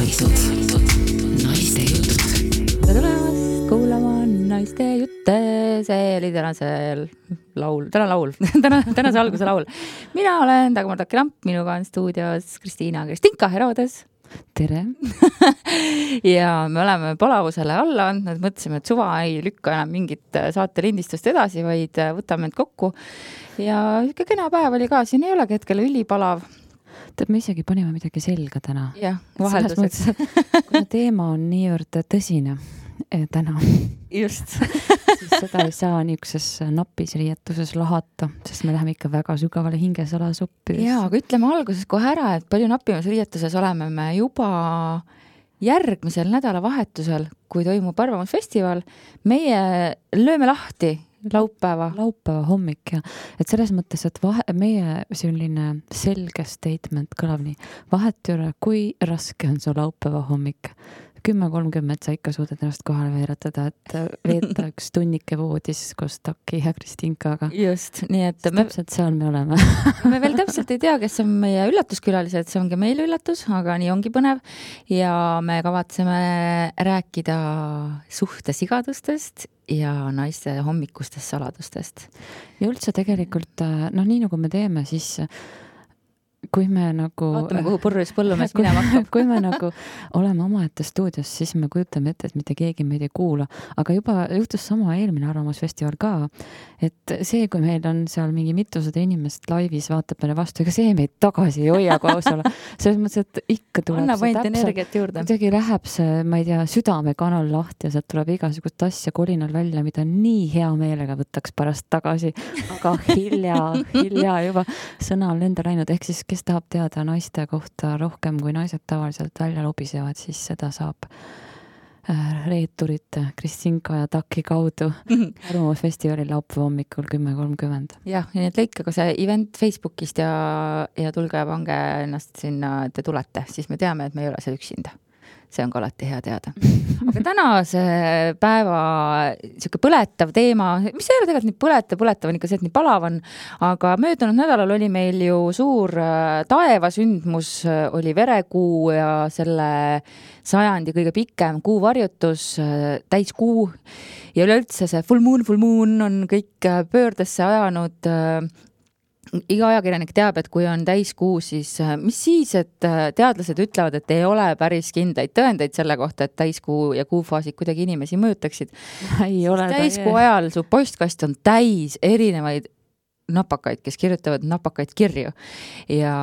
Naised. Naiste jutud. Tere tulemast kuulama naiste jutte. See oli tänasel laul, tänase alguse laul. Mina olen Dagmar Taki-Lamp, minuga on stuudios Kristinka Herodes. Tere. Ja me oleme palavusele alla andnud, mõtlesime, et suva ei lükka enam mingit saate lindistust edasi, vaid võtame end kokku. Ja ikka kena päev oli ka, siin ei olegi hetkel ülipalav. Tead, me isegi panime midagi selga täna. Jah, vahelduseks. Kuna teema on niivõrd tõsine täna. Just. Siis seda ei saa niisuguses napis riietuses lahata, sest me läheme ikka väga sügavale hingesalasuppides. Jaa, aga ütleme alguses kohe ära, et palju napimas riietuses oleme me juba järgmisel nädalavahetusel, kui toimub Arvamusfestival. Meie lööme lahti laupäeva hommik ja et selles mõttes, et meie selline selge statement kõlab nii. Vahet ei ole, kui raske on su laupäeva hommik. 10:30 sa ikka suudad ennast kohale veeretada, et veeta üks tunnike voodis koos Taki ja Kristinkaga. Just, nii et täpselt seal me oleme. Me veel täpselt ei tea, kes on meie üllatuskülalised, see ongi meil üllatus, aga nii ongi põnev ja me kavatseme rääkida suhtesigadustest ja naiste hommikustest saladustest. Ja üldse tegelikult, nii nagu me teeme, siis kui me nagu vaatame, kuhu purrus põllumees minema hakkab. Kui me nagu oleme omaette stuudios, siis me kujutame ette, et mitte keegi meid ei kuula. Aga juba juhtus sama eelmine Arvamusfestival ka, et see, kui meil on seal mingi mitusada inimest laivis vaatab meile vastu, ega see meid tagasi ei hoia kausale. Selles mõttes, et ikka tuleb annab ainult energiat juurde. Kuidagi läheb see, ma ei tea, südamekanal lahti ja sealt tuleb igasugust asja kolinal välja, mida nii hea meelega võtaks pärast tagasi. Aga hilja juba sõna on lenda läinud. Ehk siis, kes tahab teada naiste kohta rohkem kui naised tavaliselt välja lobisevad, siis seda saab reeturite Kristinka ja Taki kaudu Arvamusfestivali laupäeva hommikul 10:30. Jah, nii et lõikage see event Facebookist ja tulge ja pange ennast sinna, et te tulete, siis me teame, et me ei ole see üksinda. See on ka alati hea teada. Aga tänase päeva siuke põletav teema, mis ei ole tegelikult nii põletav on ikka see, et nii palav on, aga möödunud nädalal oli meil ju suur taevasündmus, oli verekuu ja selle sajandi kõige pikem kuuvarjutus, täiskuu ja üleüldse see full moon on kõik pöördesse ajanud. Iga ajakirjanik teab, et kui on täiskuu, siis mis siis, et teadlased ütlevad, et ei ole päris kindlaid tõendeid selle kohta, et täiskuu ja kuufaasid kuidagi inimesi mõjutaksid. Täiskuu ajal su postkast on täis erinevaid napakaid, kes kirjutavad napakaid kirju. Ja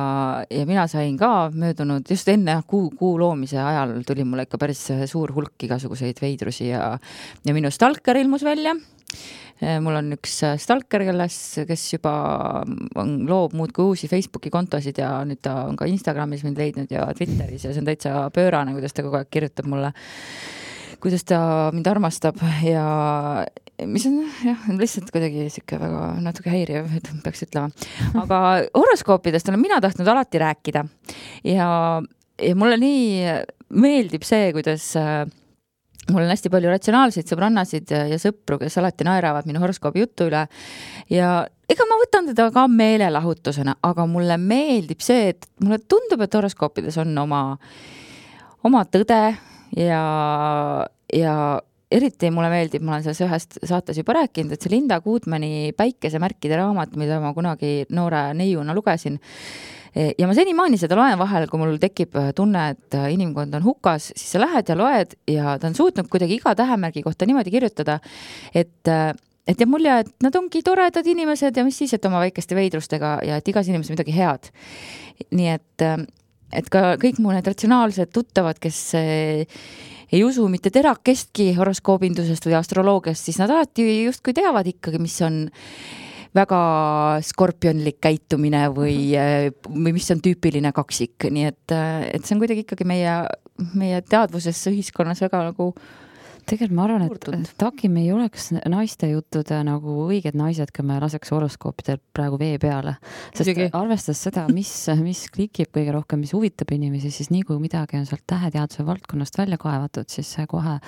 mina sain ka möödunud, just enne kuu loomise ajal tuli mulle ikka päris suur hulk igasuguseid veidrusi ja minu stalker ilmus välja. Mul on üks stalker, kes juba loob muud kui uusi Facebooki kontosid ja nüüd ta on ka Instagramis mind leidnud ja Twitteris ja see on täitsa pöörane, kuidas ta kogu aeg kirjutab mulle, kuidas ta mind armastab ja mis on lihtsalt kuidagi siuke väga natuke häiriv, peaks ütlema. Aga horoskoopidest olen mina tahtnud alati rääkida ja mulle nii meeldib see, kuidas mul on hästi palju ratsionaalseid sõbrannasid ja sõpru, kes alati naeravad minu horoskoobi jutu üle ja ega ma võtan teda ka meelelahutusena, aga mulle meeldib see, et mulle tundub, et horoskoopides on oma tõde ja eriti mulle meeldib, ma olen selles ühest saates juba rääkinud, et see Linda Goodmani päikesemärkide raamat, mida ma kunagi noore neiuna lugesin. Ja ma senimaani seda loen vahel, kui mul tekib tunne, et inimkond on hukas, siis sa lähed ja loed ja ta on suutnud kuidagi iga tähemärgi kohta niimoodi kirjutada, et jääb mulje, et nad ongi toredad inimesed ja mis siis, et oma väikeste veidrustega ja et igas inimesel midagi head. Nii et ka kõik mu need ratsionaalsed tuttavad, kes ei usu mitte terakestki horoskoobindusest või astroloogiast, siis nad alati justkui teavad ikkagi, mis on väga skorpionlik käitumine või mis on tüüpiline kaksik. Nii et see on kuidagi ikkagi meie teadvusesse ühiskonnas väga nagu tegelikult ma arvan, Murdunud. et Taki me ei oleks naiste juttude nagu õiged naised, kui me laseks horoskoopidel praegu vee peale. Sest Muidugi. arvestades seda, mis klikib kõige rohkem, mis huvitab inimesi, siis nii kui midagi on sealt täheteaduse valdkonnast välja kaevatud, siis see kohe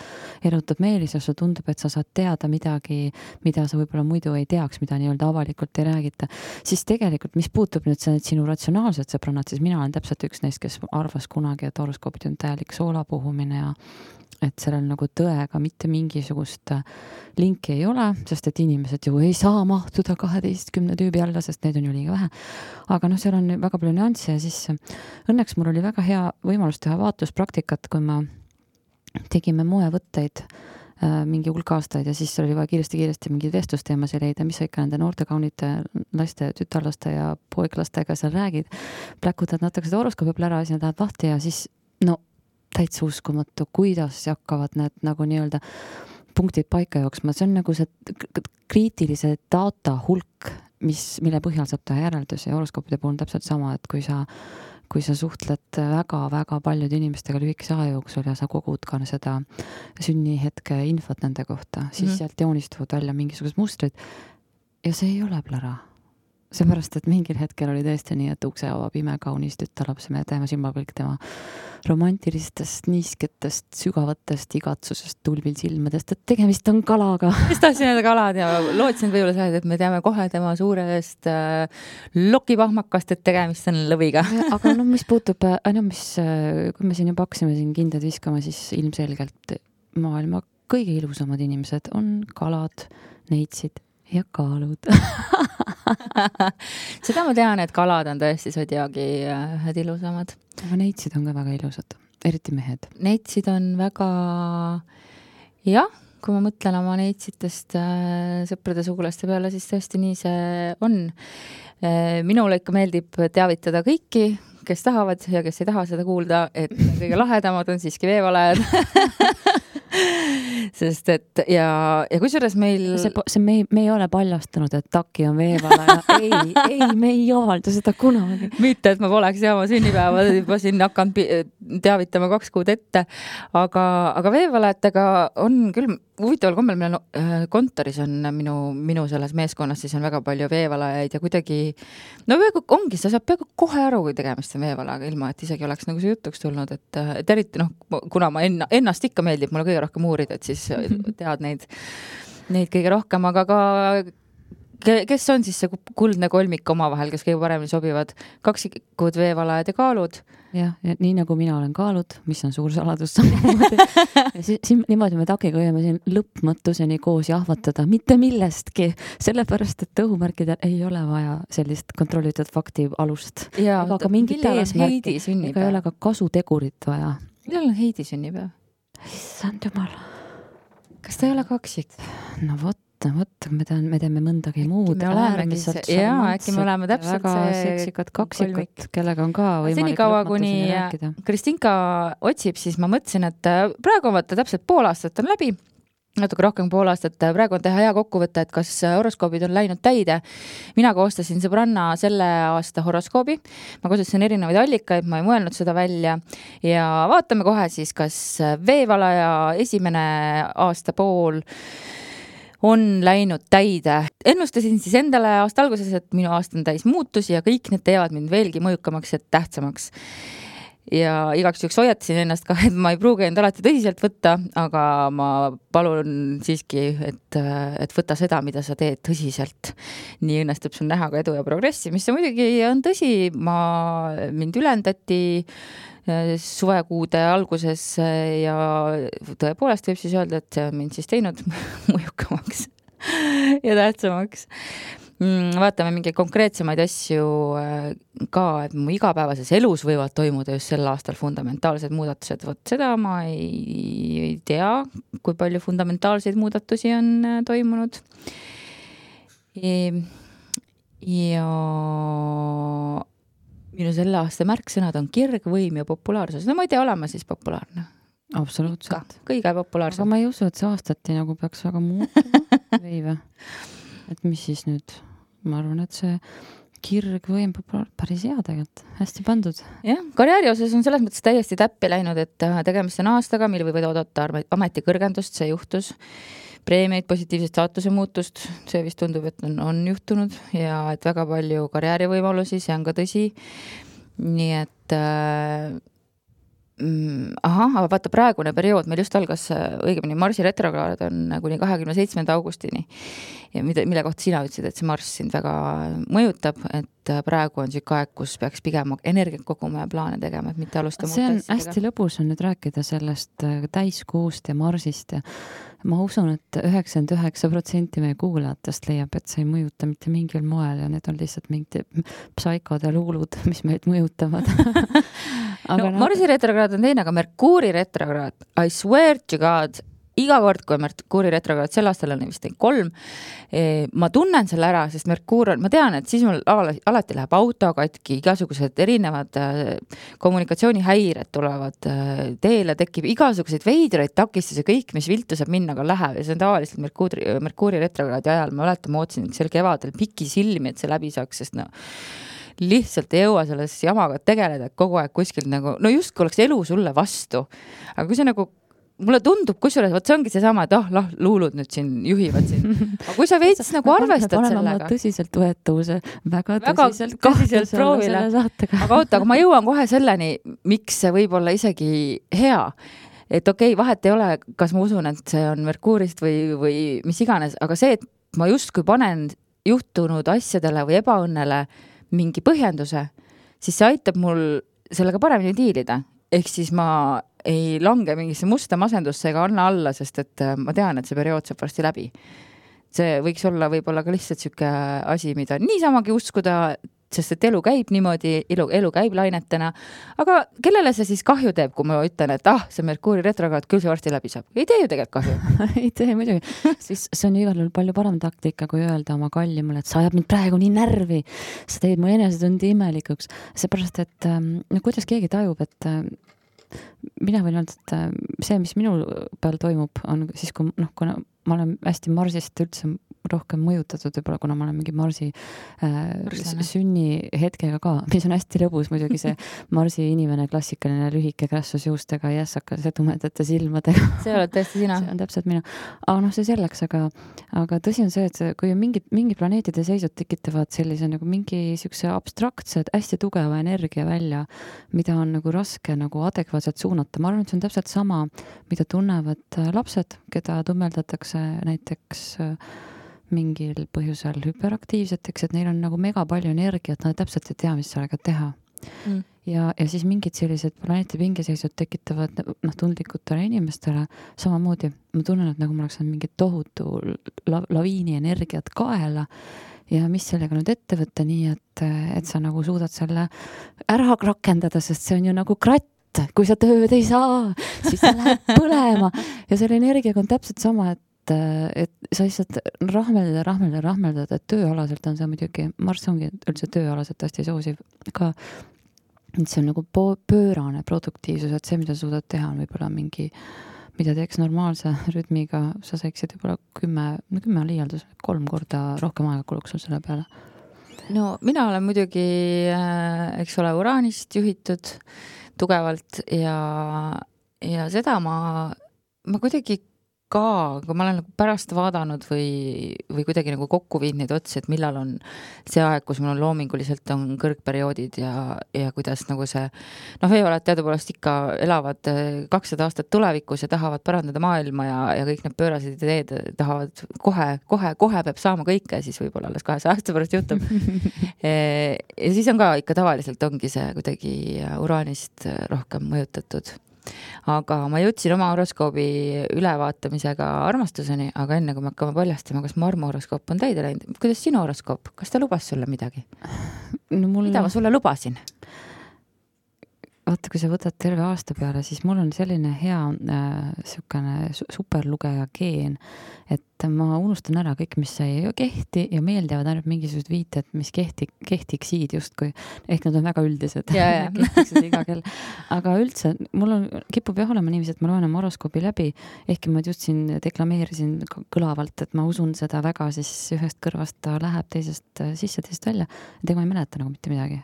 erutab meelis ja sulle tundub, et sa saad teada midagi, mida sa võib-olla muidu ei teaks, mida nii-öelda avalikult ei räägita. Siis tegelikult, mis puutub nüüd sinu ratsionaalsed sõbrannad, siis mina olen täpselt üks neist, kes arvas kunagi, et horoskoopid on täielik soolapuhumine ja et sellel nagu tõega mitte mingisugust linki ei ole, sest et inimesed ju ei saa mahtuda 12 tüübi alla, sest neid on ju liiga vähe. Aga noh, seal on väga palju nüansse ja siis õnneks mul oli väga hea võimalus teha vaatluspraktikat, kui ma tegime moevõtteid mingi hulk aastaid ja siis oli vaja kiiresti mingeid vestlusteemasid leida, mis sa ikka nende noorte kaunite laste, tütarlaste ja poiklastega seal räägid. Pläkutad natuke seda horoskoopi peale ära, siis nad lähevad lahti ja siis no täitsa uskumatu, kuidas hakkavad need nagu nii-öelda punktid paika jooksma. See on nagu see kriitilise data hulk, mille põhjal saab teha järeldusi ja horoskoopide puhul on täpselt sama, et kui sa suhtled väga-väga paljude inimestega lühikese aja jooksul ja sa kogud ka seda sünnihetke infot nende kohta, siis sealt joonistuvad välja mingisugused mustrid ja see ei ole plära. Seepärast, et mingil hetkel oli tõesti nii, et ukse avab imekaunis tütarlaps, me teeme silmapilk tema romantilistest, niisketest, sügavatest igatsusest, tulvil silmadest, et tegemist on kalaga. Mis tahtsin öelda kalad ja lootsin võib-olla seda, et me teame kohe tema suurest lokipahmakast, et tegemist on lõviga. Aga no mis puutub, kui me siin juba hakkasime siin kindad viskama, siis ilmselgelt maailma kõige ilusamad inimesed on kalad, neitsid ja kaalud. Seda ma tean, et kalad on tõesti sodiaagi ühed ilusamad. Aga neitsid on ka väga ilusad, eriti mehed. Neitsid on väga, jah, kui ma mõtlen oma neitsitest sõprade sugulaste peale, siis tõesti nii see on. Minule ikka meeldib teavitada kõiki, kes tahavad ja kes ei taha seda kuulda, et kõige lahedamad on siiski veevalajad. Sest et ja kusjuures meil me ei ole paljastanud, et Taki on veevalaja. ei, me ei avalda seda kunagi. Mitte, et ma poleks oma sünnipäeva juba siin hakanud teavitama 2 kuud ette, aga veevalajatega on küll huvitaval kombel, meil kontoris on minu selles meeskonnas, siis on väga palju veevalajaid ja kuidagi, no ongi, sa saab peaaegu kohe aru, kui tegemist on veevalajaga, ilma et isegi oleks nagu see jutuks tulnud, et eriti kuna ma ennast ikka meeldib, mulle kõige rohkem uurida, et siis tead neid kõige rohkem, aga ka kes on siis see kuldne kolmik omavahel, kes kõige paremini sobivad, kaksikud veevalajad ja kaalud. Ja nii nagu mina olen kaalud, mis on suur saladus niimoodi me Takiga võime siin lõppmõttuseni koos jahvatada mitte millestki, sellepärast, et õhumärkidel ei ole vaja sellist kontrollitud fakti alust. Ega ka mingit eesmärki, ega ei ole ka kasutegurit vaja. Millal on Heidi sünnipäev? Issand jumal. Kas ta ei ole kaksik? No vot, me teeme mõndagi muud. Äkki me oleme täpselt väga seksikad kaksikut, kellega on ka võimalik senikaua, kuni Kristinka otsib, siis ma mõtlesin, et praegu on vaata täpselt pool aastat on läbi, natuke rohkem pool aastat, praegu on teha hea kokkuvõte, et kas horoskoobid on läinud täide. Mina koostasin sõbranna selle aasta horoskoobi, ma kasutasin erinevaid allikaid, ma ei mõelnud seda välja ja vaatame kohe siis, kas veevalaja esimene aasta pool on läinud täide. Ennustasin siis endale aasta alguses, et minu aasta on täis muutusi ja kõik need teevad mind veelgi mõjukamaks ja tähtsamaks. Ja igaks juhuks hoiatasin ennast ka, et ma ei pruugi end alati tõsiselt võtta, aga ma palun siiski, et võta seda, mida sa teed tõsiselt. Nii õnnestub sul näha ka edu ja progressi, mis see muidugi on tõsi. Mind ülendati suvekuude alguses ja tõepoolest võib siis öelda, et see on mind siis teinud mõjukamaks ja tähtsamaks. Vaatame mingeid konkreetsemaid asju ka, et mu igapäevases elus võivad toimuda just sel aastal fundamentaalsed muudatused. Vot seda ma ei tea, kui palju fundamentaalseid muudatusi on toimunud. Ja minu selle aasta märksõnad on kirg, võim ja populaarsus. No ma ei tea, olema siis populaarne. Absoluutselt. Kõige populaarsem. Aga ma ei usu, et see aastati nagu peaks väga muutuma. Veive. Et mis siis nüüd? Ma arvan, et see kirgvõim päris hea tegelikult, hästi pandud. Jah, karjääri osas on selles mõttes täiesti täppi läinud, et tegemist on aastaga, mil võivad oodata ametikõrgendust, see juhtus. Preemiaid, positiivset staatuse muutust, see vist tundub, et on juhtunud ja et väga palju karjäärivõimalusi, see on ka tõsi. Nii et aga vaata praegune periood, meil just algas õigemini Marsi retrokraad on kuni 27. augustini, ja mille kohta sina ütlesid, et see Marss sind väga mõjutab, et praegu on siuke aeg, kus peaks pigem energiat koguma ja plaane tegema, et mitte alustama. See on hästi lõbus on nüüd rääkida sellest täiskuust ja Marsist ja ma usun, et 99% meie kuulajatest leiab, et see ei mõjuta mitte mingil moel ja need on lihtsalt mingid psaikod ja luulud, mis meid mõjutavad. No, Marsi retrokraad on teine, aga Merkuuri retrokraad, I swear to God, iga kord, kui Merkuuri retrokraad, sel aastal on vist 3, ma tunnen selle ära, sest Merkuur on, ma tean, et siis mul alati läheb auto katki, igasugused erinevad kommunikatsioonihäired tulevad teele, tekib igasuguseid veidraid takistusi, kõik, mis viltu saab minna, aga läheb ja see on tavaliselt Merkuuri retrokraadi ajal, ma mäletan, ma ootsin sel kevadel piki silmi, et see läbi saaks, sest lihtsalt ei jõua selles jamaga tegeleda, et kogu aeg kuskilt nagu, no just kui oleks elu sulle vastu, aga kui see nagu mulle tundub, kusjuures, võt see ongi seesama, et luulud nüüd siin juhivad siin. Aga kui sa veits nagu arvestad sellega. Tõsiselt võetavuse, väga tõsiselt proovile. Aga oota, aga ma jõuan kohe selleni, miks see võib olla isegi hea. Et okei, vahet ei ole, kas ma usun, et see on Merkuurist või mis iganes, aga see, et ma justkui panen juhtunud asjadele või ebaõnnele mingi põhjenduse, siis see aitab mul sellega paremini diilida. Ehk siis ma ei lange mingisse musta masendusse ega anna alla, sest et ma tean, et see periood saab varsti läbi. See võiks olla võib-olla ka lihtsalt siuke asi, mida niisamagi uskuda, sest et elu käib niimoodi, elu käib lainetena, aga kellele see siis kahju teeb, kui ma ütlen, et see Merkuuri retrokraad küll see varsti läbi saab? Ei tee ju tegelikult kahju. Ei tee muidugi. Siis see on igal juhul palju parem taktika, kui öelda oma kallimule, et sa ajab mind praegu nii närvi, sa teed mu enesetundi imelikuks. Seepärast, et kuidas keegi tajub, et mina võin öelda, et see, mis minul peal toimub, on siis, kui kuna ma olen hästi Marsist üldse rohkem mõjutatud, võib-olla kuna ma olen mingi Marsi sünni hetkega ka, mis on hästi lõbus muidugi see Marsi inimene, klassikaline lühike krässus juustega, jässakas ja tumedate silmadega. See oled tõesti sina. See on täpselt mina. Aga see selleks, aga tõsi on see, et kui mingi planeetide seisud tekitavad sellise nagu mingi siukse abstraktse, hästi tugeva energia välja, mida on nagu raske nagu adekvaatselt suunata. Ma arvan, et see on täpselt sama, mida tunnevad lapsed, keda tummeldatakse näiteks mingil põhjusel hüperaktiivseteks, et neil on nagu mega palju energiat, nad täpselt ei tea, mis sellega teha. Ja siis mingid sellised planeeti pingeseisud tekitavad tundlikutele inimestele samamoodi. Ma tunnen, et nagu ma oleks mingi tohutu laviini energiat kaela ja mis sellega nüüd ette võtta nii, et sa nagu suudad selle ära rakendada, sest see on ju nagu kratt. Kui sa tööd ei saa, siis sa lähed põlema ja selle energiaga on täpselt sama, et sa lihtsalt rahmeldad, et tööalaselt on see muidugi, Marss ongi üldse tööalaselt hästi soosiv ka, et see on nagu pöörane produktiivsus, et see, mida suudad teha, on võib-olla mingi, mida teeks normaalse rütmiga, sa saiksid võib-olla 10 liialdus, 3 korda rohkem aega kuluks sul selle peale. No mina olen muidugi, eks ole, uraanist juhitud tugevalt ja seda ma kuidagi ka, kui ma olen nagu pärast vaadanud või kuidagi nagu kokku viinud neid otsi, et millal on see aeg, kus mul on loominguliselt on kõrgperioodid ja kuidas nagu see, veeoled teadupoolest ikka elavad 200 aastat tulevikus ja tahavad parandada maailma ja kõik need pöörased ideed tahavad kohe peab saama kõike, siis võib-olla alles 200 aasta pärast juhtub. Ja siis on ka ikka tavaliselt ongi see kuidagi uraanist rohkem mõjutatud. Aga ma jõudsin oma horoskoobi ülevaatamisega armastuseni, aga enne kui me hakkame paljastama, kas mu armuhoroskoop on täide läinud, kuidas sinu horoskoop, kas ta lubas sulle midagi? Mida ma sulle lubasin? Vaata, kui sa võtad terve aasta peale, siis mul on selline hea superlugeja geen, et ma unustan ära kõik, mis ei kehti ja meeldivad ainult mingisugused viited, mis kehtiksid justkui. Ehk nad on väga üldised. Kehtiksid iga kell. Aga üldse, mul kipub jah olema niiviisi, et ma loen oma horoskoobi läbi, ehkki ma just siin deklameerisin kõlavalt, et ma usun seda väga, siis ühest kõrvast ta läheb teisest sisse, teisest välja. Ega ma ei mäleta nagu mitte midagi.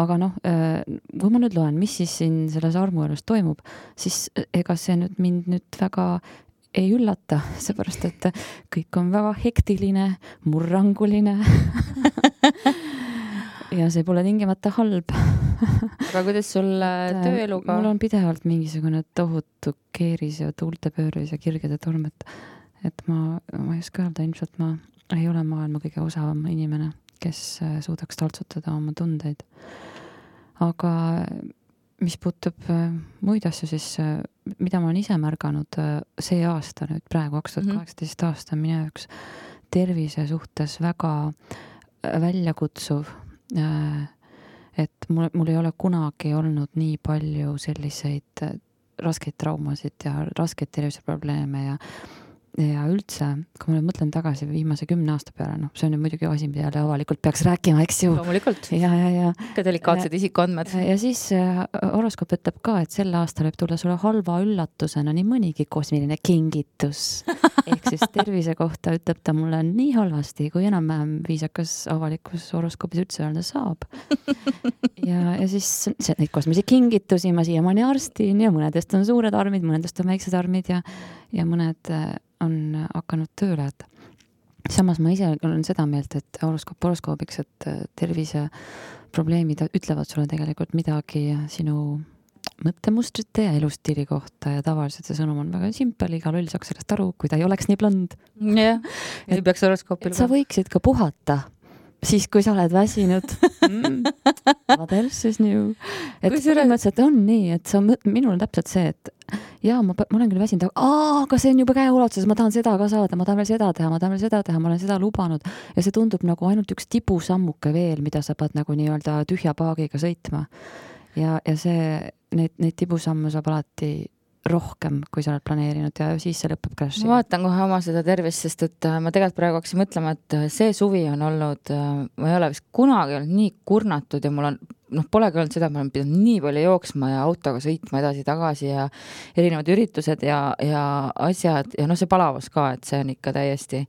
Aga kui ma nüüd loen, mis siis siin selles armuelus toimub, siis ega see mind nüüd väga ei üllata, seepärast, et kõik on väga hektiline, murranguline ja see pole tingimata halb. Aga kuidas sul tööeluga? Mul on pidevalt mingisugune tohutu keeris ja tuultepööris ja kirgede torm, et ma ei oska öelda, ilmselt ma ei ole maailma kõige osavam inimene, kes suudaks taltsutada oma tundeid. Aga mis puutub muid asju, siis mida ma olen ise märganud see aasta nüüd praegu 2018 aasta minu jaoks tervise suhtes väga väljakutsuv, et mul ei ole kunagi olnud nii palju selliseid raskeid traumasid ja raskeid terviseprobleeme ja üldse, kui ma mõtlen tagasi viimase 10 aasta peale, see on ju muidugi asi, mida jälle avalikult peaks rääkima, eks ju. Loomulikult. Ja. Ka delikaatsed isikuandmed. Ja siis horoskoop ütleb ka, et sel aastal võib tulla sulle halva üllatusena nii mõnigi kosmiline kingitus. Ehk siis tervise kohta ütleb ta mulle nii halvasti, kui enam-vähem viisakas avalikus horoskoopis üldse öelda saab. Ja siis neid kosmilisi kingitusi ma siiamaani arstin ja mõnedest on suured armid, mõnedest on väiksed armid ja mõned on hakanud tööle. Samas ma ise olen seda meelt, et horoskoobiks, et terviseprobleemid ütlevad sulle tegelikult midagi sinu mõttemustrite ja elustiili kohta ja tavaliselt see sõnum on väga simpel, iga loll saaks sellest aru, kui ta ei oleks nii blond. Jah, ei peaks horoskoopil. Sa võiksid ka puhata siis, kui sa oled väsinud. What else is new? Et põhimõtteliselt on nii, et minul on täpselt see, et ma olen küll väsinud, aga see on juba käeulatuses, ma tahan seda ka saada, ma tahan veel seda teha, ma olen seda lubanud ja see tundub nagu ainult üks tibusammuke veel, mida sa pead nagu nii-öelda tühja paagiga sõitma. Ja neid tibusammu saab alati rohkem, kui sa oled planeerinud ja siis see lõpeb crash'i. Ma vaatan kohe oma seda tervist, sest et ma tegelikult praegu hakkasin mõtlema, et see suvi on olnud, ma ei ole vist kunagi olnud nii kurnatud ja mul on, polegi olnud seda, et ma olen pidanud nii palju jooksma ja autoga sõitma edasi-tagasi ja erinevad üritused ja asjad ja see palavus ka, et see on ikka täiesti.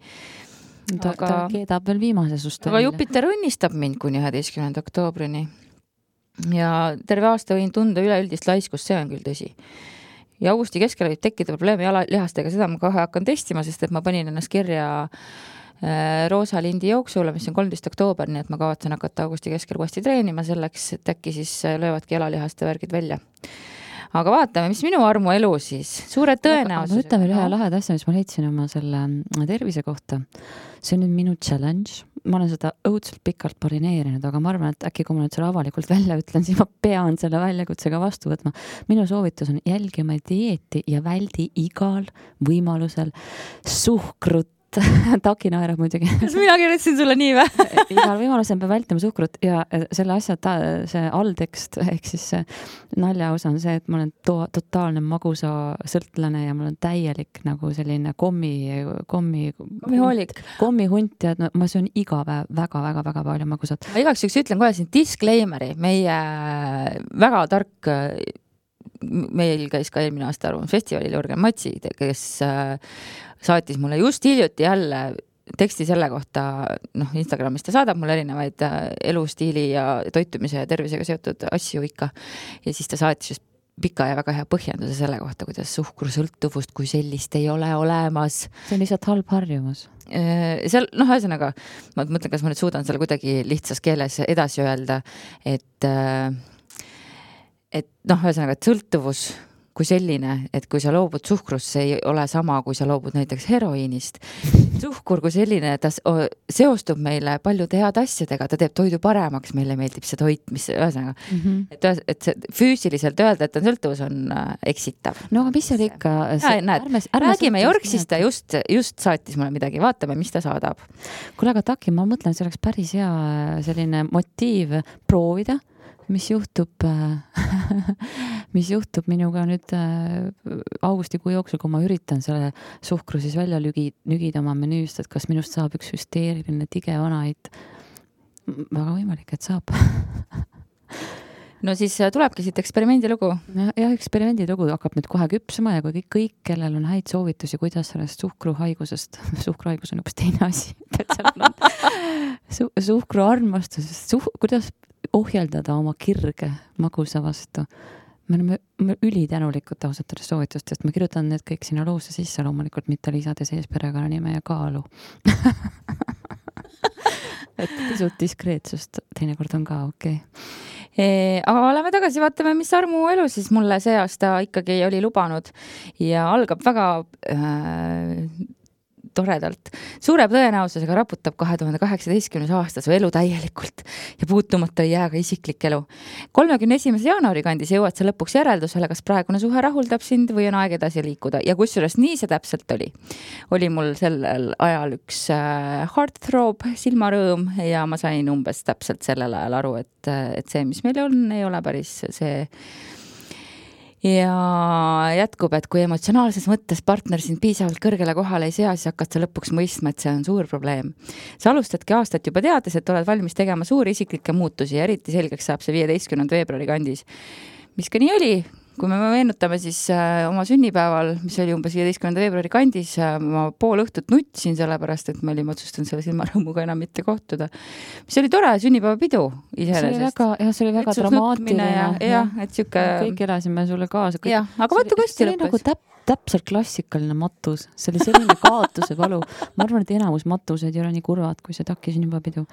Ta keedab veel viimase sust. Aga Jupiter õnnistab mind kuni 11. oktoobrini ja terve aasta võin tunda üleüldist laiskust, see on küll tõsi. Ja augusti keskel võib tekkida probleemi jalalihastega, seda ma kohe hakkan testima, sest et ma panin ennast kirja Roosa Lindi jooksule, mis on 13. oktoober, nii et ma kavatsen hakata augusti keskel uuesti treenima selleks, et äkki siis löövadki jalalihaste värgid välja. Aga vaatame, mis minu armuelu siis. Suure tõenäosus. Ma ütlen veel ühe laheda asja, mis ma leidsin oma selle tervise kohta. See on nüüd minu challenge. Ma olen seda õudselt pikalt parineerinud, aga ma arvan, et äkki kui ma nüüd selle avalikult välja ütlen, siis ma pean selle väljakutsega vastu võtma. Minu soovitus on jälgima dieeti ja väldi igal võimalusel suhkrut. Taki naerab muidugi. Kas mina kirjutasin sulle nii või? Igal võimalusel peab vältima suhkrut ja selle asja see alltekst, ehk siis see naljaosa on see, et ma olen totaalne magusa sõltlane ja mul on täielik nagu selline kommihunt ja ma söön iga päev väga palju magusat. Igaks üks ütlen kohe siin disclaimeri, meie väga tark meil käis ka eelmine aasta Arvamusfestivalil Jürgen Matsi, kes saatis mulle just hiljuti jälle teksti selle kohta, Instagramis ta saadab mulle erinevaid elustiili ja toitumise ja tervisega seotud asju ikka. Ja siis ta saatis just pika ja väga hea põhjenduse selle kohta, kuidas suhkrusõltuvust kui sellist ei ole olemas. See on lihtsalt halb harjumus. Seal, ühesõnaga, ma mõtlen, kas ma nüüd suudan selle kuidagi lihtsas keeles edasi öelda, et ühesõnaga, et sõltuvus kui selline, et kui sa loobud suhkrust, see ei ole sama, kui sa loobud näiteks heroiinist. Suhkur kui selline, ta seostub meile paljude head asjadega, ta teeb toidu paremaks, meile meeldib see toit, mis ühesõnaga, et see füüsiliselt öelda, et on sõltuvus, on eksitav. No aga mis oli ikka? Räägime Jorksist, ta just saatis mulle midagi, vaatame, mis ta saadab. Kuule, aga Taki, ma mõtlen, see oleks päris hea selline motiiv proovida, mis juhtub mis juhtub minuga nüüd augustikuu jooksul, kui ma üritan selle suhkru siis välja nügida oma menüüst, et kas minust saab üks hüsteeriline tige vanaid. Väga võimalik, et saab. No siis tulebki siit eksperimendilugu. Ja eksperimendilugu hakkab nüüd kohe küpsema ja kui kõik, kellel on häid soovitusi, kuidas sellest suhkruhaigus on üks teine asi, suhkruarmastusest, kuidas ohjeldada oma kirge magusa vastu. Me oleme ülitänulikud ausatele soovitustest. Ma kirjutan need kõik sinna loosse sisse, loomulikult mitte lisades ees perekonnanime ja kaalu. Et pisut diskreetsust teinekord on ka okei. Aga oleme tagasi, vaatame, mis Armu elu siis mulle see aasta ikkagi oli lubanud ja algab väga toredalt. Suure tõenäosusega raputab 2018. aasta su elu täielikult ja puutumata ei jää ka isiklik elu. 31. jaanuari kandis jõuad sa lõpuks järeldusele, kas praegune suhe rahuldab sind või on aeg edasi liikuda. Ja kusjuures nii see täpselt oli. Oli mul sellel ajal üks heartthrob, silmarõõm ja ma sain umbes täpselt sellel ajal aru, et see, mis meil on, ei ole päris see. Ja jätkub, et kui emotsionaalses mõttes partner sind piisavalt kõrgele kohale ei sea, siis hakkad sa lõpuks mõistma, et see on suur probleem. Sa alustadki aastat juba teades, et oled valmis tegema suuri isiklikke muutusi ja eriti selgeks saab see 15. veebruari kandis. Mis ka nii oli, kui me meenutame siis oma sünnipäeval, mis oli umbes 15. veebruari kandis, ma pool õhtut nutsin sellepärast, et me olime otsustanud selle silmarõõmuga enam mitte kohtuda. Mis oli tore sünnipäevapidu iseenesest. See oli väga dramaatiline. Ja, et süke... Kõik elasime sulle kaasa. Ja, aga vaatu kosti lõppes. See oli täpselt klassikaline matus. See oli selline kaotuse valu. Ma arvan, et enamus matused ei ole nii kurvad, kui see takki sünnipäevapidu.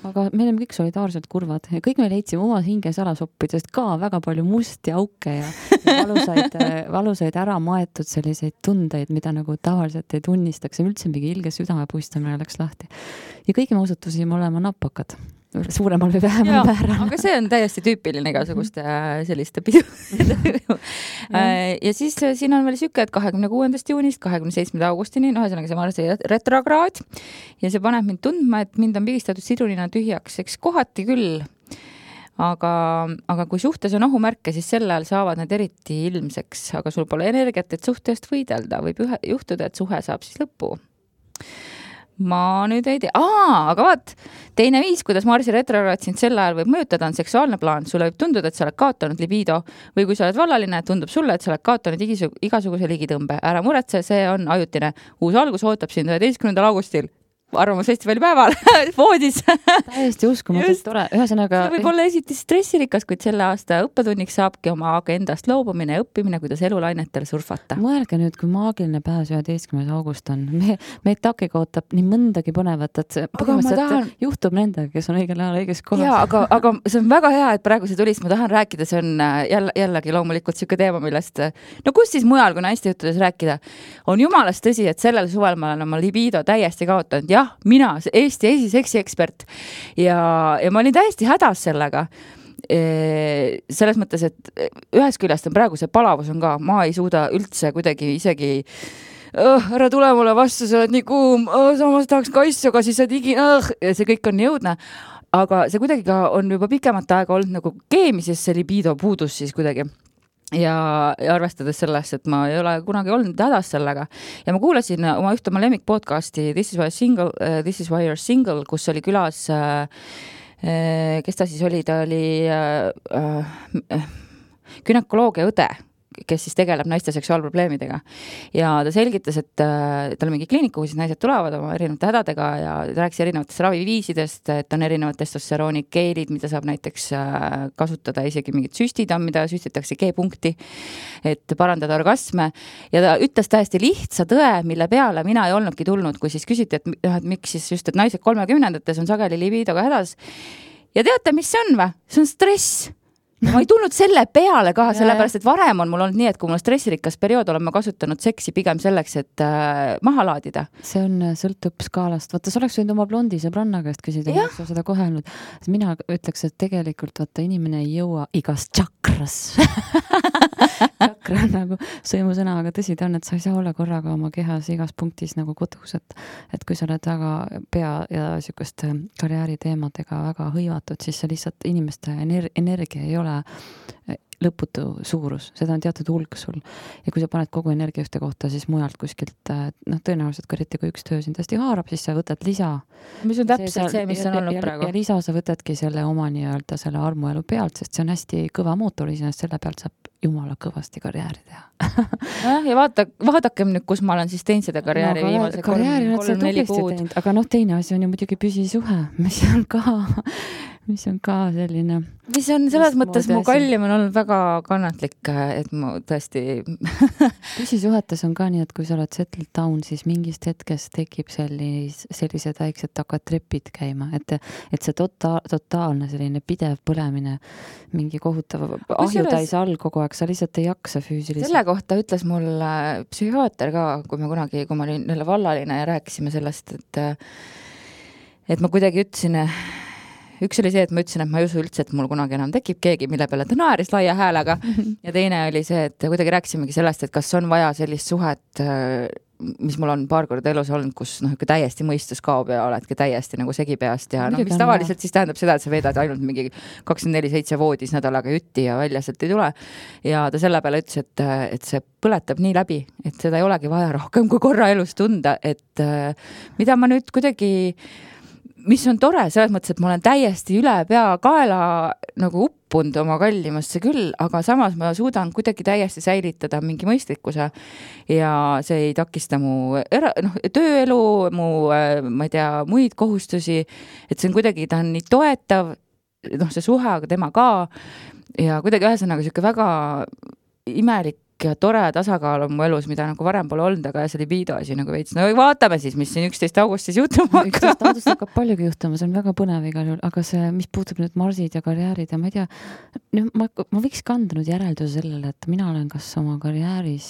Aga me oleme kõik solidaarselt kurvad ja kõik me leidsime oma hinge salasoppidest ka väga palju musti auke ja valusaid ära maetud selliseid tundeid, mida nagu tavaliselt ei tunnistaks ja üldse mingi ilge südamepuistamine läks lahti. Ja kõigi me osutusime olema napakad. Suuremal või vähemal määral. Aga see on täiesti tüüpiline igasuguste selliste pidu. Ja siis siin on veel süke, et 26. juunist 27. augustini, ühesõnaga see Marsi retrograad ja see paneb mind tundma, et mind on pigistatud sidrunina tühjaks, eks kohati küll. Aga kui suhtes on ohumärke, siis sel ajal saavad need eriti ilmseks, aga sul pole energiat, et suhtest võidelda. Võib juhtuda, et suhe saab siis lõppu. Ma nüüd ei tea. Aga vaat, teine viis, kuidas Marsi retrograad sind sel ajal võib mõjutada, on seksuaalne plaan. Sulle võib tunduda, et sa oled kaotanud libido või kui sa oled vallaline, tundub sulle, et sa oled kaotanud igasuguse ligitõmbe. Ära muretse, see on ajutine. Uus algus ootab sind 11. augustil. Arvamusfestivali päeval voodis. Täiesti uskumatult tore. Ühesõnaga see võib olla esiti stressirikas, kuid selle aasta õppetunniks saabki oma agendast loobumine ja õppimine, kuidas elulainetel surfata. Mõelge nüüd, kui maagiline päev 11. august on. Meid takiga ootab nii mõndagi põnevat, et põhimõtteliselt juhtub nendega, kes on õigel ajal õiges kohas. Jaa, aga see on väga hea, et praegu see tulist ma tahan rääkida. See on jällegi loomulikult siuke teema, millest no kus siis mujal, kui naiste juttudes rääkida. On jumalast tõsi, et sellel suvel ma olen oma libido täiesti kaotanud. Ja mina, Eesti esiseksi ekspert ja ma olin täiesti hädas sellega. Selles mõttes, et ühes küljest on praegu see palavus on ka, ma ei suuda üldse kuidagi isegi ära tule mulle vastu, sa oled nii kuum, samas tahaks kaissu, aga siis sa digi, see kõik on jõudne. Aga see kuidagi ka on juba pikemat aega olnud nagu keemises see libido puudus siis kuidagi. Ja arvestades sellest, et ma ei ole kunagi olnud hädas sellega. Ja ma kuulasin oma ühte oma lemmik podcasti This is why you're single, kus oli külas, kes ta siis oli, ta oli günekoloogia õde, kes siis tegeleb naiste seksuaalprobleemidega. Ja ta selgitas, et tal on mingi kliinik, kuhu siis naised tulevad oma erinevate hädadega ja ta rääkis erinevatest raviviisidest, et on erinevad testosteroonikeelid, mida saab näiteks kasutada, isegi mingid süstid on, mida süstitakse G-punkti, et parandada orgasme. Ja ta ütles täiesti lihtsa tõe, mille peale mina ei olnudki tulnud, kui siis küsiti, et miks siis just, et naised 30-ndates on sageli libidoga hädas. Ja teate, mis see on või? See on stress. Ma ei tulnud selle peale ka, sellepärast, et varem on mul olnud nii, et kui mul on stressirikas periood, olen ma kasutanud seksi pigem selleks, et maha laadida. See on sõltub skaalast. Vaata, sa oleks võinud oma blondi sõbranna käest küsida, mis sa seda kohe olnud. Mina ütleks, et tegelikult vaata, inimene ei jõua igas tšakras. Tšakra on nagu sõimusõna, aga tõsi ta on, et sa ei saa olla korraga oma kehas igas punktis nagu kodus, et kui sa oled väga pea ja sükust karjääri teemadega väga hõivatud, siis see lihtsalt inimeste energia ei ole lõputu suurus, seda on teatud hulk sul. Ja kui sa paned kogu energia ühte kohta, siis mujalt kuskilt, tõenäoliselt ka eriti kui üks töö sind hästi haarab, siis sa võtad lisa. Mis on täpselt see, mis on olnud praegu. Ja lisa sa võtadki selle oma nii-öelda selle armuelu pealt, sest see on hästi kõva mootor iseenesest, selle pealt saab jumala kõvasti karjääri teha. Ja vaadakem nüüd, kus ma olen siis teinud seda karjääri viimase 3-4 kuud. Aga teine asi on ju muidugi püsisuhe, mis on ka selline... Mis on selles mõttes mu kallim on olnud väga kannatlik, et ma tõesti... Püsisuhetes on ka nii, et kui sa oled settled down, siis mingist hetkest tekib sellised väiksed hakkad trepid käima, et see totaalne selline pidev põlemine, mingi kohutav ahjutäis all kogu aeg, sa lihtsalt ei jaksa füüsiliselt. Selle kohta ütles mul psühhiaater ka, kui ma olin jälle vallaline ja rääkisime sellest, et ma kuidagi ütlesin, üks oli see, et ma ütlesin, et ma ei usu üldse, et mul kunagi enam tekib keegi, mille peale ta naeris laia häälega. Ja teine oli see, et kuidagi rääkisimegi sellest, et kas on vaja sellist suhet, mis mul on paar korda elus olnud, kus täiesti mõistus kaob ja oledki täiesti nagu segipeast ja mis tavaliselt siis tähendab seda, et sa veedad ainult mingi 24/7 voodis nädalaga jutti ja välja sealt ei tule. Ja ta selle peale ütles, et see põletab nii läbi, et seda ei olegi vaja rohkem kui korra elus tunda, et mida ma nüüd kuidagi mis on tore, selles mõttes, et ma olen täiesti üle pea kaela nagu uppunud oma kallimasse küll, aga samas ma suudan kuidagi täiesti säilitada mingi mõistlikkuse ja see ei takista mu tööelu, mu, ma ei tea, muid kohustusi, et see on kuidagi, ta on nii toetav, see suhe, aga tema ka ja kuidagi ühesõnaga siuke väga imelik ja tore tasakaal on mu elus, mida nagu varem pole olnud, aga see libido asi nagu veits. No vaatame siis, mis siin 11. augustis juhtuma hakkab. 11. augustis hakkab paljugi juhtuma, see on väga põnev igal juhul, aga see, mis puutub nüüd marsid ja karjäärid ja ma ei tea, ma võiks kanda nüüd järelduse sellele, et mina olen kas oma karjääris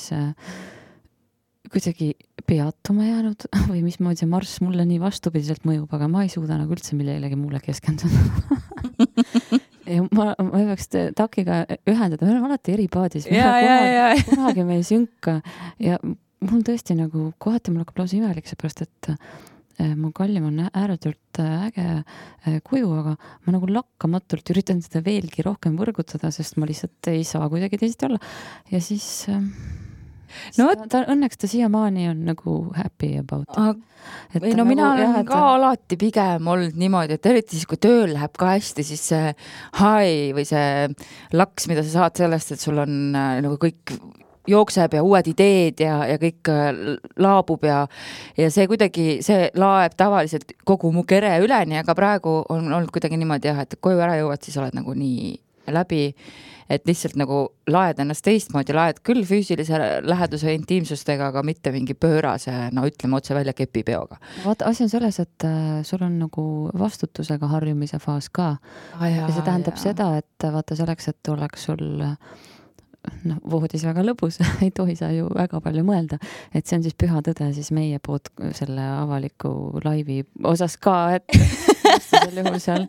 kuidagi peatuma jäänud või mismoodi see marss mulle nii vastupidiselt mõjub, aga ma ei suuda nagu üldse millelegi muule keskenduda. Ja ma ei peaks takiga ühendada, me oleme alati eri paadis, kunagi me ei sünka ja mul tõesti nagu kohati mul hakkab lausa imelik seepärast, et mu kallim on ääretult äge kuju, aga ma nagu lakkamatult üritan seda veelgi rohkem võrgutada, sest ma lihtsalt ei saa kuidagi teisiti olla ja siis õnneks ta siiamaani on nagu happy about it. Mina olen ka alati pigem olnud niimoodi, et eriti siis, kui tööl läheb ka hästi, siis see high või see laks, mida sa saad sellest, et sul on nagu kõik jookseb ja uued ideed ja kõik laabub ja see kuidagi, see laeb tavaliselt kogu mu kere üleni, aga praegu on olnud kuidagi niimoodi et koju ära jõuad, siis oled nagu nii läbi, et lihtsalt nagu laed ennast teistmoodi, laed küll füüsilise läheduse intiimsustega, aga mitte mingi pöörase, ütleme otse välja kepipeoga. Vaata, asi on selles, et sul on nagu vastutusega harjumise faas ka. Ja see tähendab seda, et vaata selleks, et oleks sul voodis väga lõbus, ei tohi sa ju väga palju mõelda, et see on siis püha tõde siis meie poolt selle avaliku laivi osas ka, et sel juhul seal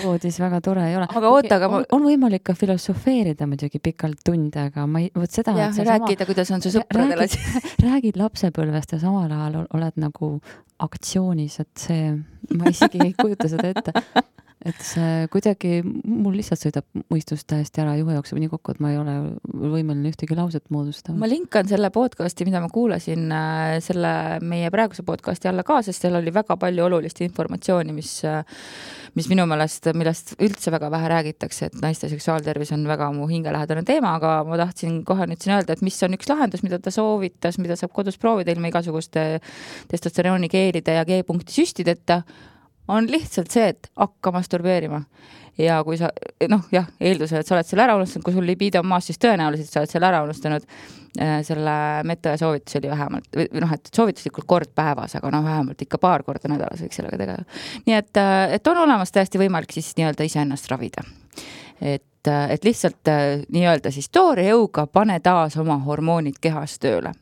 voodis väga tore ei ole. Aga oota, aga on võimalik ka filosofeerida muidugi pikalt tunde, aga ma ei, võt seda, et see rääkida, kuidas on su sõpradele räägid lapsepõlvest ja samal ajal oled nagu aktsioonis, et see, ma isegi ei kujuta seda ette. Et see kuidagi, mul lihtsalt sõidab mõistus täiesti ära, juhe jookseb nii kokku, et ma ei ole võimeline ühtegi lauset moodustama. Ma linkan selle podcasti, mida ma kuulasin selle meie praeguse podcasti alla ka, sest seal oli väga palju olulist informatsiooni, mis minu meelest, millest üldse väga vähe räägitakse, et naiste seksuaaltervis on väga mu hingelähedane teema, aga ma tahtsin kohe nüüd siin öelda, et mis on üks lahendus, mida ta soovitas, mida saab kodus proovida ilma igasuguste testosterooni keelide ja G-punkti süstideta, on lihtsalt see, et hakka masturbeerima. Ja kui sa, eeldusel, et sa oled selle ära unustanud, kui sul libido on maas, siis tõenäoliselt sa oled selle ära unustanud. Selle meta ja soovitus oli vähemalt, et soovituslikult kord päevas, aga vähemalt ikka paar korda nädalas võiks sellega tegeda. Nii et on olemas täiesti võimalik siis nii-öelda iseennast ravida. Et lihtsalt nii-öelda siis toore jõuga pane taas oma hormoonid kehas tööle.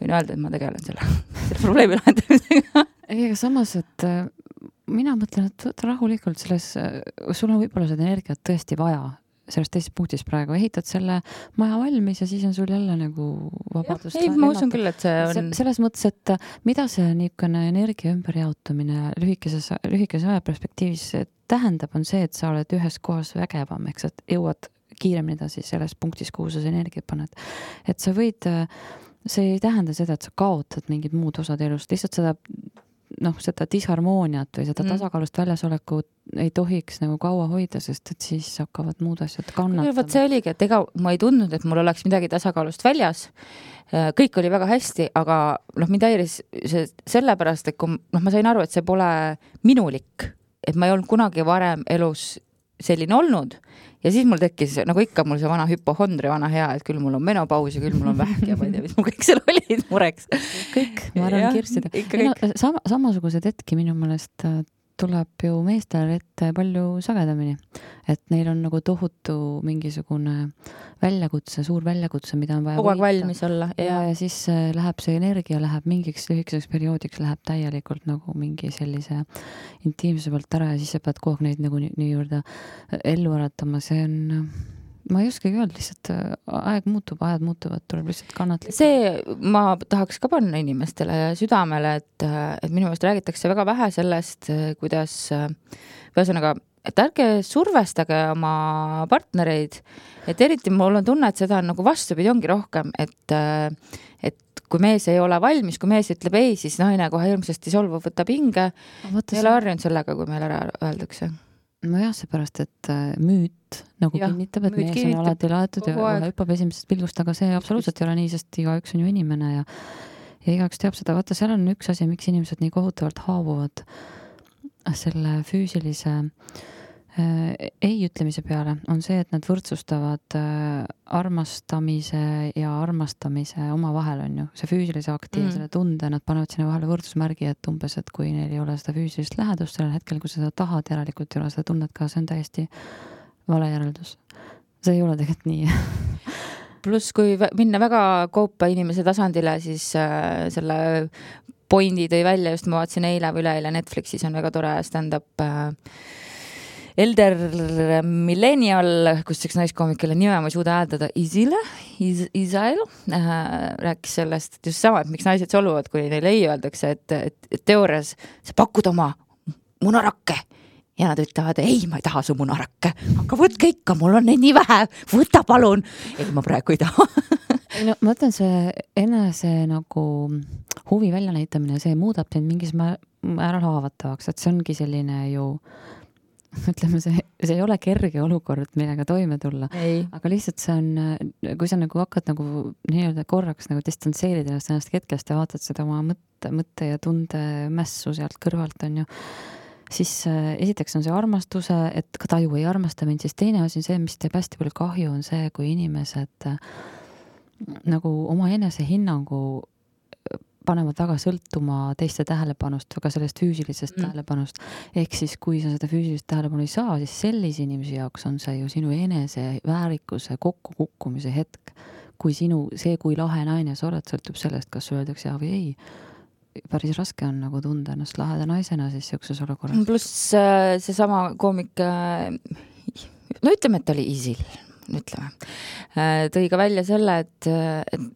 Võin öelda, et ma tegelen selle probleemi lahendamisega. Ega samas, et mina mõtlen, et rahulikult sul on võib-olla seda energiat tõesti vaja sellest teisest punktis praegu, ehitad selle maja valmis ja siis on sul jälle nagu vabadust. Ei, ma usun küll, et see on... Selles mõttes, et mida see niisugune energia ümberjaotumine lühikeses ajaperspektiivis tähendab, on see, et sa oled ühes kohas vägevam, eks, et jõuad kiiremini edasi selles punktis, kuhu sa energiat paned. Et sa võid, see ei tähenda seda, et sa kaotad mingid muud osad elust, lihtsalt seda disharmooniat või seda tasakaalust väljasolekut ei tohiks nagu kaua hoida, sest et siis hakkavad muud asjad kannatama. Võt see oligi, et ega ma ei tundnud, et mul oleks midagi tasakaalust väljas. Kõik oli väga hästi, aga mind häiris sellepärast, et kui ma sain aru, et see pole minulik, et ma ei olnud kunagi varem elus selline olnud ja siis mul tekkis, nagu ikka mul see vana hüpohondri, vana hea, et küll mul on menopaus ja küll mul on vähk ja ma ei tea, mis mul kõik seal olid mureks. Kõik, ma arvan, kirstida. Samasugused hetki minu meelest tuleb ju meestel ette palju sagedamini, et neil on nagu tohutu mingisugune väljakutse, suur väljakutse, mida on vaja kogu aeg valmis olla. Ja siis läheb see energia, läheb mingiks lühikeseks perioodiks, läheb täielikult nagu mingi sellise intiimse pealt ära ja siis sa pead kogu aeg neid nagu nii juurde ellu äratama, see on, ma ei oskagi öelda, lihtsalt ajad muutuvad, tuleb lihtsalt kannatlik. See ma tahaks ka panna inimestele südamele, et minu meelest räägitakse väga vähe sellest, kuidas ühesõnaga, et ärge survestage oma partnereid, et eriti mul on tunne, et seda on nagu vastupidi ongi rohkem, et kui mees ei ole valmis, kui mees ütleb ei, siis naine kohe hirmsasti solvub, võtab hinge, ei ole harjunud sellega, kui meil ära öeldakse. No jah, seepärast, et müüt nagu kinnitab, et mees on alati laetud ja hüppab esimesest pilgust, aga see absoluutselt ei ole nii, sest igaüks on ju inimene ja igaüks teab seda. Vaata, seal on üks asi, miks inimesed nii kohutavalt haavuvad selle füüsilise ei ütlemise peale, on see, et nad võrdsustavad armastamise ja armastamise oma vahel on ju. See füüsilise akti ja selle tunde, nad panevad sinna vahele võrdusmärgi, et umbes, et kui neil ei ole seda füüsilist lähedust sellel hetkel, kui seda tahad, järelikult ei ole seda tunnet ka, see on täiesti vale järeldus. See ei ole tegelikult nii. Pluss, kui minna väga koopa inimese tasandile, siis selle pointi tõi välja, just ma vaatasin eile või üleeile Netflixis on väga tore stand-up Elder Millennial, kus üks naiskoomik, kelle nime ma ei suuda hääldada, Isil rääkis sellest, et just sama, et miks naised solvuvad, kui neile ei öeldakse, et teoorias sa pakud oma munarakke ja nad ütlevad, ei, ma ei taha su munarakke, aga võtke ikka, mul on neid nii vähe, võta palun. Ei, ma praegu ei taha. No, ma ütlen, see enese nagu huvi välja näitamine, see muudab sind mingis määral haavatavaks, et see ongi selline ju ütleme, see ei ole kerge olukord, millega toime tulla, aga lihtsalt see on, kui sa nagu hakkad nagu nii-öelda korraks nagu distantseerida ennast hetkest ja vaatad seda oma mõtte ja tunde mässu sealt kõrvalt on ju, siis esiteks on see armastuse, et ka taju ei armasta mind, siis teine asi on see, mis teeb hästi palju kahju, on see, kui inimesed nagu oma enese hinnangu panevad väga sõltuma teiste tähelepanust, väga sellest füüsilisest tähelepanust. Ehk siis, kui sa seda füüsilist tähelepanu ei saa, siis sellise inimese jaoks on see ju sinu enese väärikuse kokkukukkumise hetk. Kui kui lahe naine sa oled, sõltub sellest, kas öeldakse ja või ei. Päris raske on nagu tunda ennast laheda naisena siis siukses olukorras. Pluss seesama koomik, no ütleme, et ta oli Isil. Tõi ka välja selle, et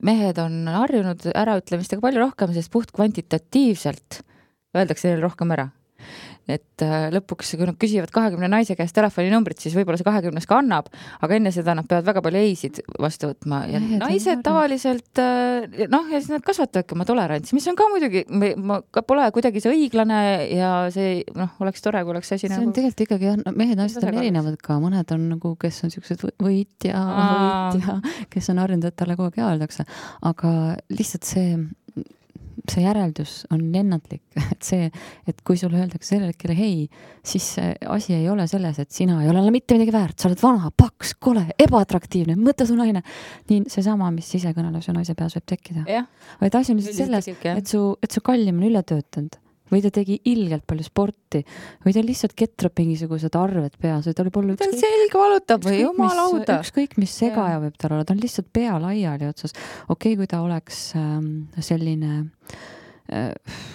mehed on harjunud äraütlemistega palju rohkem, sest puht kvantitatiivselt öeldakse neil rohkem ära. Et lõpuks, kui nad küsivad 20 naise käest telefoninumbrit, siis võib-olla see 20 ka annab, aga enne seda nad peavad väga palju eisid vastu võtma ja naised tavaliselt, ja siis nad kasvatavadki oma tolerantsi, mis on ka muidugi, pole kuidagi see õiglane ja see, oleks tore, kui oleks asi see on tegelikult ikkagi, mehed naised on erinevad ka, mõned on nagu, kes on siuksed võitja, kes on harjunud, et talle kogu aeg öeldakse, aga lihtsalt see järeldus on ennatlik, et kui sulle öeldakse sellele hetkele hei, siis asi ei ole selles, et sina ei ole mitte midagi väärt, sa oled vana, paks, kole, ebaatraktiivne, mõttetu naine. Nii seesama, mis sisekõnelus ja naise peas võib tekkida. Vaid asi on lihtsalt selles, et su kallim on ületöötanud või ta tegi ilgelt palju sporti või ta lihtsalt ketrab mingisugused arved peas või ta oli polnud ta selge valutab või jumalauda. Ükskõik, mis segaja võib tal olla, ta on lihtsalt pea laiali otsas. Okei, kui ta oleks selline,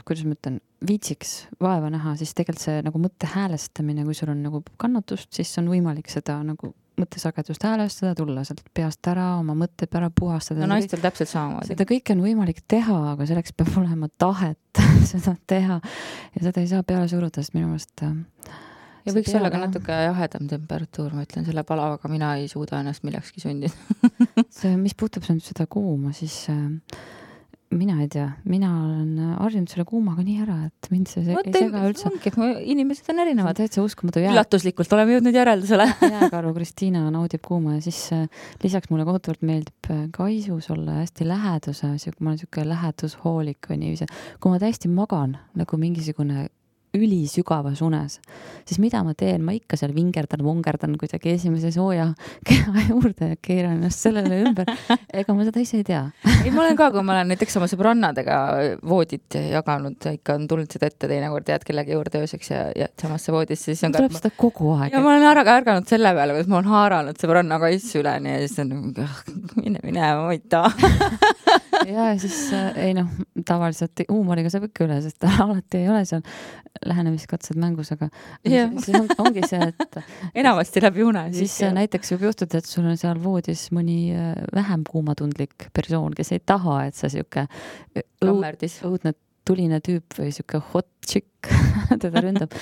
kuidas ma ütlen, viitsiks vaeva näha, siis tegelikult see nagu mõtte häälestamine, kui sul on nagu kannatust, siis on võimalik seda nagu mõttesagedust häälestada, tulla sealt peast ära, oma mõtted ära puhastada. No naistel täpselt samamoodi. Seda kõike on võimalik teha, aga selleks peab olema tahet seda teha ja seda ei saa peale suruda, sest minu meelest ja võiks olla ka natuke jahedam temperatuur, ma ütlen, selle palavaga mina ei suuda ennast millekski sundida. see, mis puutub seda kuuma, siis mina ei tea, mina olen harjunud selle kuumaga nii ära, et mind see ei sega üldse. Inimesed on erinevad. Täitsa uskumatu. Üllatuslikult oleme jõudnud järeldusele. Jääkaru Kristiina naudib kuuma ja siis lisaks mulle kohutavalt meeldib kaisus olla hästi läheduses, ma olen siuke lähedushoolik või niiviisi. Kui ma täiesti magan nagu mingisugune ülisügavas unes, siis mida ma teen? Ma ikka seal vingerdan kuidagi esimese sooja keha juurde ja keeran ennast sellele ümber. Ega ma seda ise ei tea. Ei, ma olen ka, kui ma olen näiteks oma sõbrannadega voodit jaganud, ikka on tulnud seda ette teinekord jääd kellegi juurde ööseks ja samasse voodisse. Siis on tuleb seda kogu aeg. Ja ma olen ärganud selle peale, kus ma olen haaranud sõbranna kaissu üleni ja siis on mine võita. Ja siis ei tavaliselt huumoriga saab ikka üle, sest alati ei ole seal lähenemiskatsed mängus, aga siis ongi see, et enamasti läbi une. Siis näiteks võib juhtuda, et sul on seal voodis mõni vähem kuumatundlik persoon, kes ei taha, et sa siuke õudne tuline tüüp või siuke hot chick teda ründab.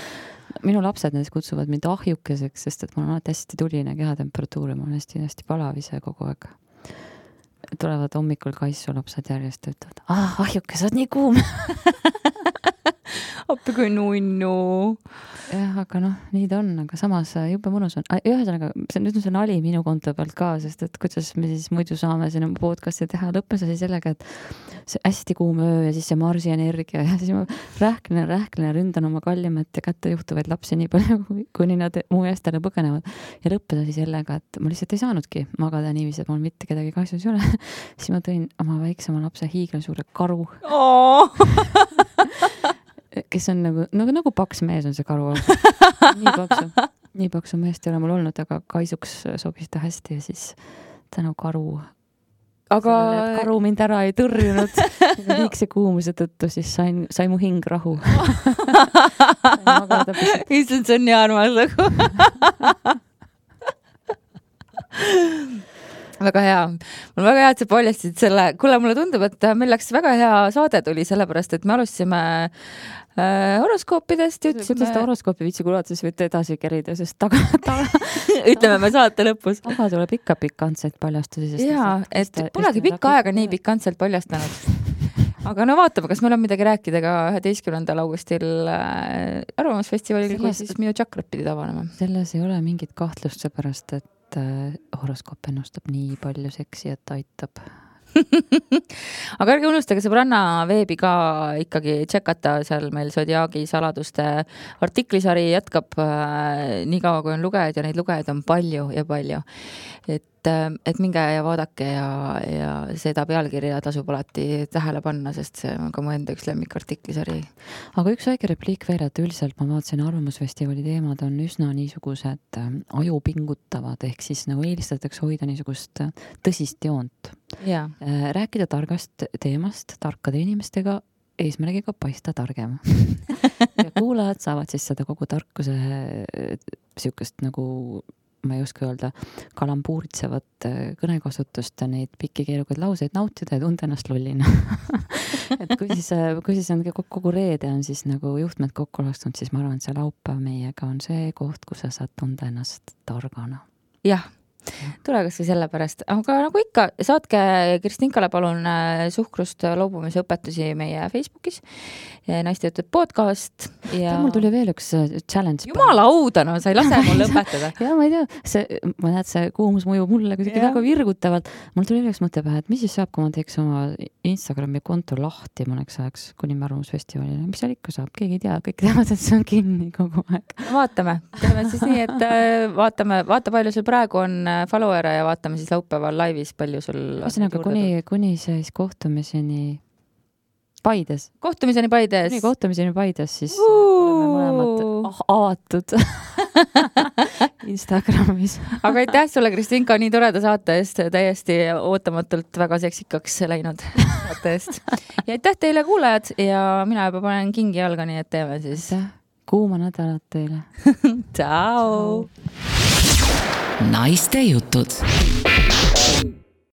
Minu lapsed näiteks kutsuvad mind ahjukeseks, sest et mul on alati hästi tuline kehatemperatuur ja ma olen hästi palavise kogu aeg. Tulevad hommikul kaissu lapsed järjest ja ütlevad, ahjuke, sa oled nii kuum. Appi kui nunnu. Jah, aga nii ta on, aga samas jube mõnus on. Ühesõnaga, nüüd on see nali minu konto pealt ka, sest et kuidas me siis muidu saame siin podcasti teha. Lõppes asi sellega, et see hästi kuum öö ja siis see Marsi energia ja siis ma rähklen ja ründan oma kallimat ja kätte juhtuvaid lapsi nii palju, kuni nad mu eestele põgenevad. Ja lõppes asi sellega, et ma lihtsalt ei saanudki magada niiviisi, et mul mitte kedagi kaisus ei ole. Siis ma tõin oma väiksema lapse hiigelsuure karu. Kes on nagu paks mees on see karu. Nii paksu meest ei ole mul olnud, aga kaisuks sobis ta hästi ja siis tänu karu. Aga karu mind ära ei tõrjunud. Liigse kuumuse tõttu siis sai mu hing rahu. Issand, see on nii armas. Väga hea. Mul väga hea, et sa paljastasid selle. Kuule, mulle tundub, et meil läks väga hea saade tuli sellepärast, et me alustasime horoskoopidest. Kuidas ta horoskoopi viitsi kuulata, siis võite edasi kerida, sest taga ütleme me saate lõpus. Taga tuleb ikka pikantseid paljastusi. Jaa, et polegi pikka aega nii pikantselt paljastanud. Aga vaatame, kas meil on midagi rääkida ka 11. augustil Arvamusfestivalil, kui siis minu tšakrat pidi tavanema. Selles ei ole mingit kahtlust seepärast, et horoskoop ennustab nii palju seksi, et aitab. Aga ärge unustage sõbranna veebi ka ikkagi tšekata, seal meil Zodiaagi saladuste artiklisari jätkab nii kaua, kui on lugejaid ja neid lugejaid on palju ja palju. Et minge ja vaadake ja seda pealkirja tasub alati tähele panna, sest see on ka mu enda üks lemmikartiklisari. Aga üks väike repliik veel, et üldiselt ma vaatasin Arvamusfestivali teemad on üsna niisugused ajupingutavad, ehk siis nagu eelistatakse hoida niisugust tõsist joont. Ja. Rääkida targast teemast tarkade inimestega eesmärgiga paista targem. Ja kuulajad saavad siis seda kogu tarkuse siukest nagu ma ei oska öelda, kalambuuritsevat kõnekasutust, neid pikki keerukaid lauseid nautida ja tunda ennast lollina. Et kui siis on kogu reede on siis nagu juhtmed kokku lastunud, siis ma arvan, et see laupäev meiega on see koht, kus sa saad tunda ennast targana. Jah. Tule kas või sellepärast, aga nagu ikka, saatke Kristinkale palun suhkrust loobumise õpetusi meie Facebookis, Naiste jutud podcast. Ja mul tuli veel üks challenge. Jumala auda, sa ei lase mul õpetada. Ja ma ei tea, ma näed, see kuumus mõjub mulle kuidagi väga virgutavalt. Mul tuli veel üks mõte pähe, et mis siis saab, kui ma teeks oma Instagrami konto lahti mõneks ajaks kuni Arvamusfestivalile. Mis seal ikka saab? Keegi ei tea, kõik teavad, et see on kinni kogu aeg. Vaatame. Teeme siis nii, et vaata palju sul praegu on followere ja vaatame siis laupäeval laivis, palju sul ühesõnaga kuni siis kohtumiseni Paides. Kohtumiseni Paides. Kuni kohtumiseni Paides, siis oleme mõlemad avatud Instagramis. Aga aitäh sulle, Kristinka, nii toreda saate eest, täiesti ootamatult väga seksikaks läinud saate eest. Ja aitäh teile kuulajad ja mina juba panen kingi jalga, nii et teeme siis. Kuuma nädalat teile. Ciao! Naiste jutud.